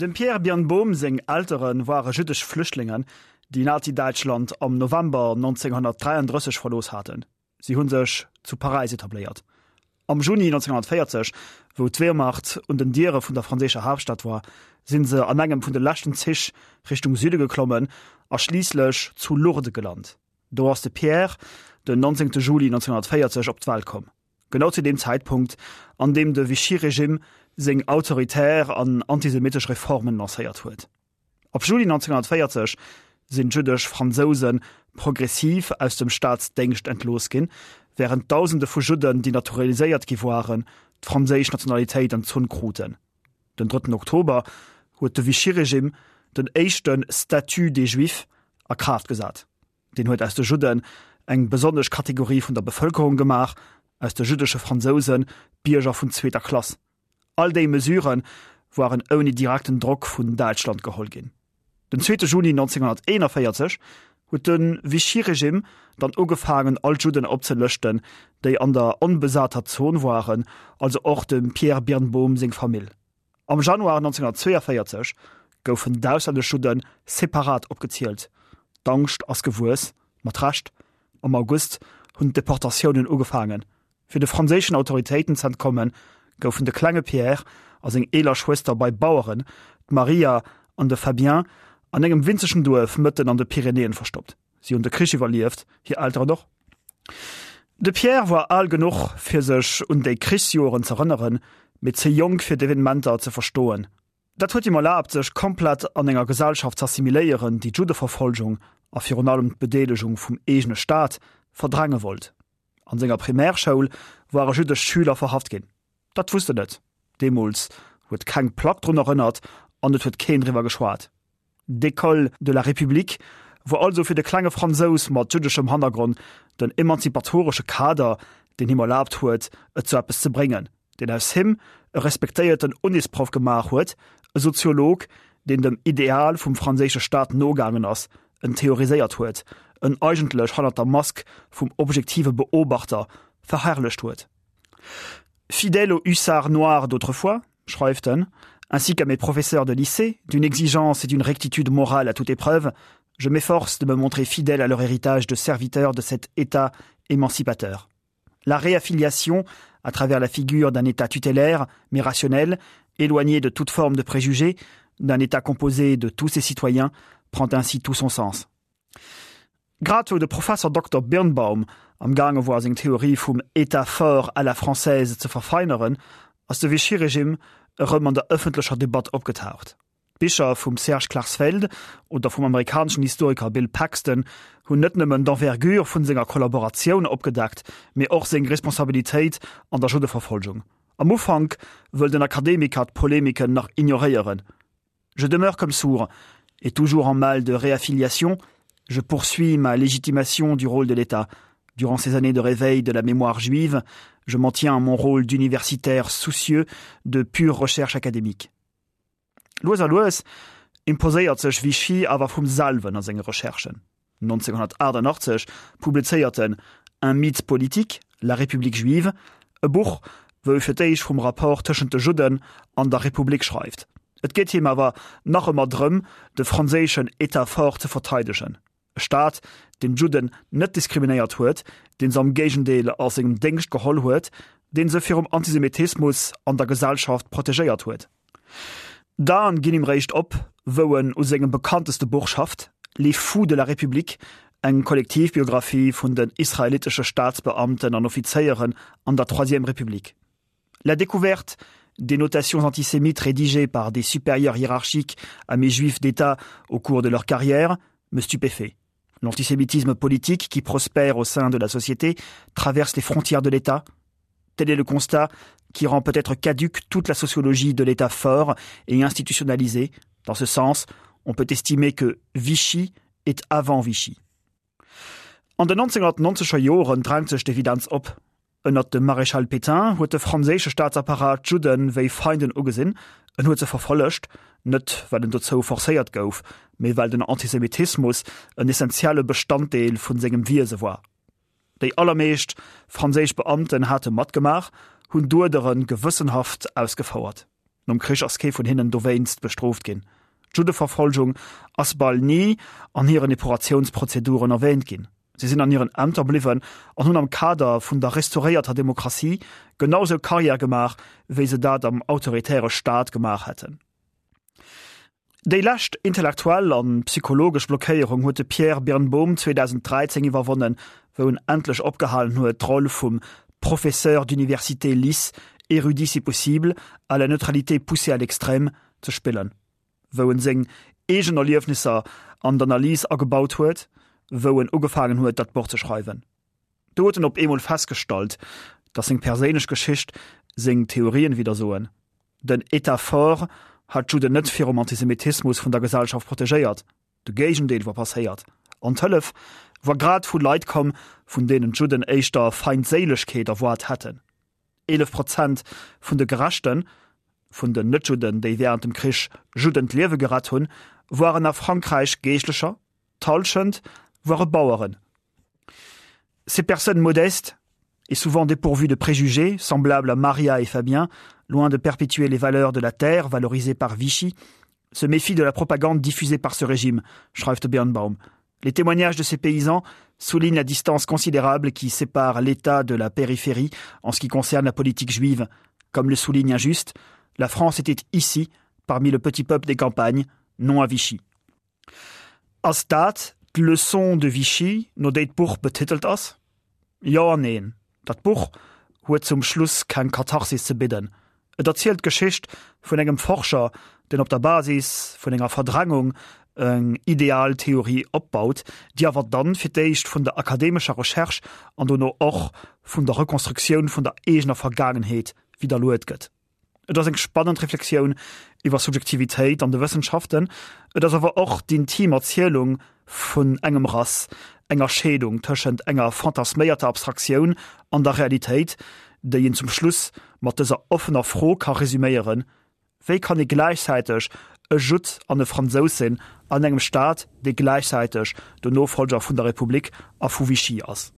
Dem Pierre Birnbaum seng Eltere ware jüddesch Flüchtlingen, déi Nazi-Däitschland am November 1933 verlooss haten. Si hu sech zu Paräis etabléiert. Am Juni 1940, wou d'Wehrmacht un den Diere vun der franséischer Haaptstad war, si se an engem vun de leschten Zich Richtung Süde geklommen a schliisslech zu Lourdes gelant. Do ass de Pierre den 19 Juli 1940 op d'Welt komm, genau zu deem Zäitpunkt, an deem de Vichy-Regimm seng autoritär an antisemittesch Reformen lancéiert huet. Ab Juli 1940 sinn d'jüddesch Fransouse progressiv aus dem Staatsdéngscht entlooss ginn, wärend Dausende vu Judden, déi naturaliséiert gi waren, d'franséisch Nationalitéit entzunn kruten. Den drëtten Oktober huet de Vichy-Regimm den éischte Statut des Juifs a Kraaft gesat. Deen huet aus de Judden eng besonnesch Kategorie vun der Bevëlkerung gemaach, aus de jüddesche Fransouse Bierger vun zweeter Klass. All déi Mesurë waren ouni direkten Drock vun Däitschland geholl ginn. Den zweete Juni 1941 huet de Vichy-Regimm dann ugefaangen all d'Judden opzelëschten, déi an der onbesater Zon waren, also och dem Pierre Birnbaum seng Famill. Am Januar 1942 goufen d'auslännesch Judde separat opgezielt. D'Angscht ass gewuess, mat Recht. Am August hunn d'Deportatiounen ugefaangen. Fir de franséischen Autoritéiten z'entkommen, goufen de klenge Pierre a seng eeler Schwëster bei Baueren, d'Maria an de Fabien, an engem winzegen Duerf mëtten an de Pyrenäen verstoppt. Si hunn de Krich iwwerlieft, hir Elteren och. De Pierre war al genuch, fir sech un déi Krichsjoren z'erënneren, mee ze jonk fir d'Evenementer ze verstoen. Dat huet him erlaabt, sech komplett an enger Gesellschaft z'assimiléieren, déi d'Juddeverfolgung, a virun allem d'Bedeelegung vum eegene Staat, verdränge wollt. An senger Primärschoul ware jüddesch Schüler verhaft ginn. Dat wusst en net. Deemools huet keng Plack drun erënnert an et huet keen driwwer geschwat. D'École de la République wor also fir de klenge Fransous mat jüddeschem Hannergronn den emanzipatoresche Kader, deen him erlaabt huet, et zu eppes ze bréngen, deen aus him e respektéierten Unisproff gemaach huet, e Soziolog, deen dem Ideal vum franséische Staat nogaangen ass, en theoriséiert huet, en eigentlech hannert der Mask vum objektive Beobachter verherrlecht huet. Fidèle aux hussards noirs d'autrefois, schreift en, ainsi qu'à mes professeurs de lycée, d'une exigence et d'une rectitude morale à toute épreuve, je m'efforce de me montrer fidèle à leur héritage de serviteur de cet État émancipateur. La réaffiliation, à travers la figure d'un État tutélaire, mais rationnel, éloigné de toute forme de préjugés, d'un État composé de tous ses citoyens, prend ainsi tout son sens. Grad wou de Professer Dokter Birnbaum am gaange woar seng Theorie vum État fort à la française ze verfeineren, ass de Vichy-Regime erëm an der ëffentlecher Debatt opgetaucht. D'Bicher vum Serge Klarsfeld oder vum amerikaneschen Historiker Bill Paxton hunn net nëmmen d'Envergure vun senger Kollaboratioun opgedeckt, mee och seng Responsabilitéit an der Juddeverfolgung. Am Ufank wëll den Akademiker d'Polemiken nach ignoréieren, Je demeure comme sourd et toujours en mal de réaffiliation, je poursuis ma légitimation du rôle de l'État. Durant ces années de réveil de la mémoire juive, je m'en tiens à mon rôle d'universitaire soucieux de pure recherche académique. Lues a lues imposéiert sech Vichy awer vum selwen a senge Recherchen. 1988 publizéiert en Un mythe politique, la République juive, e Buch, wou e fir d'éischt vum Rapport tëschent de Judden an der Republik schreift. Et geet him awer nach ëmmer drëm, de franséischen État fort ze verteidegen. E Staat, deen d'Judden net diskriminéiert huet, deen se am Géigendeel a sengem Déngscht geholl huet, deen se virum Antisemitismus an der Gesellschaft protegéiert huet. D'Aen ginn him réischt op, wou en u sengem bekannteste Buch schafft, Les Fous de la République, eng Kollektivbiographie vun den israelitesche Staatsbeamten an Offizéieren an der Troisième République. La découverte des notations antisémites rédigées par des supérieurs hiérarchiques à mes juifs d'État au cours de leur carrière me stupéfait. L'antisémitisme politique qui prospère au sein de la société traverse les frontières de l'État. Tel est le constat qui rend peut-être caduque toute la sociologie de l'État fort et institutionnalisé. Dans ce sens, on peut estimer que Vichy est avant Vichy. An den 1990er Joren drängt sech d'Evidenz op. Ënnert dem Maréchal Pétain huet de franséische Staatsapparat d'Judde wéi Feinden ugesinn, en huet se verfollegt, net well en dozou forcéiert gouf, mee well den Antisemitismus en essentielle Bestanddeel vun sengem Wiese war. Déi allermeescht franséisch Beamten hate matgemaach, hunn d'Uerdere gewëssenhaft ausgefouert. Nom Krich ass kee vun hinnen dowéinst bestrooft ginn. D'Juddeverfolgung ass bal ni an hiren Epuratiounsprozeduren erwäänt ginn. Si sinn an hiren Ämter bliwwen an hunn am Kader vun der restauréierter Demokratie genau sou Karriär gemaach, wéi se dat am autoritäre Staat gemaach hätten. Déi lescht intellektuell an psychologesch Blockéierung huet de Pierre Birnbaum 2013 iwwerwonnen, wou en endlech opgehalen huet, d'Roll vum Professeur d'université lisse, érudit si possible, à la neutralité poussée à l'extrême ze spillen, wou en seng eegen Erliefnisser an d'Analys agebaut huet, wou en ugefaangen huet, dat Buch ze schreiwen. Do huet en op eemol festgestallt, datt seng perséinlech Geschicht seng Theorien widdersoen. Den État fort hat d'Judden net virum Antisemitismus vun der Gesellschaft protegéiert, de Géigendeel war passéiert, an d'Hëllef war grad vu Leit komm, vun deenen d'Judden éischter Feindséilegkeet erwaart hätten. 11 Prozent vun de Gerechten, vun den Net-Judden, déi wärend dem Krich Judden d'Liewe gerett hunn, waren a Frankräich Geeschtlecher, d'Hallschent ware Baueren. Ces personnes modestes et souvent dépourvues de préjugés, semblables à Maria et Fabien, loin de perpétuer les valeurs de la terre valorisées par Vichy, se méfient de la propagande diffusée par ce régime, schreift de Birnbaum. Les témoignages de ces paysans soulignent la distance considérable qui sépare l'État de la périphérie en ce qui concerne la politique juive. Comme le souligne Injuste, la France était ici, parmi le petit peuple des campagnes, non à Vichy. Ass dat d'Leçon de Vichy, no déi d'Buch betitelt ass? Jo an neen. Dat Buch huet zum Schluss keng Katharsis ze bidden. Et erzielt d'Geschicht vun engem Forscher, deen op der Basis vun enger Verdrängung eng ideal Theorie opbaut, déi awer dann fir d'éischt vun der akademescher Recherche an dono och vun der Rekonstruktioun vun der eegener Vergaangenheet widderluet gëtt. Et ass eng spannend Reflexioun iwwer Subjektivitéit an de Wëssenschaften, et ass awer och d'intim Erzielung vun engem Rass, enger Scheedung tëschent enger fantasméierter Abstraktioun an der Realitéit, déi een zum Schluss mat dëser offener Fro ka resuméieren, Wéi kann ee gläichzäiteg e Judd an e Fransous sinn an engem Staat, dee gläichzäiteg den Nofollger vun der Republik a vu Vichy ass?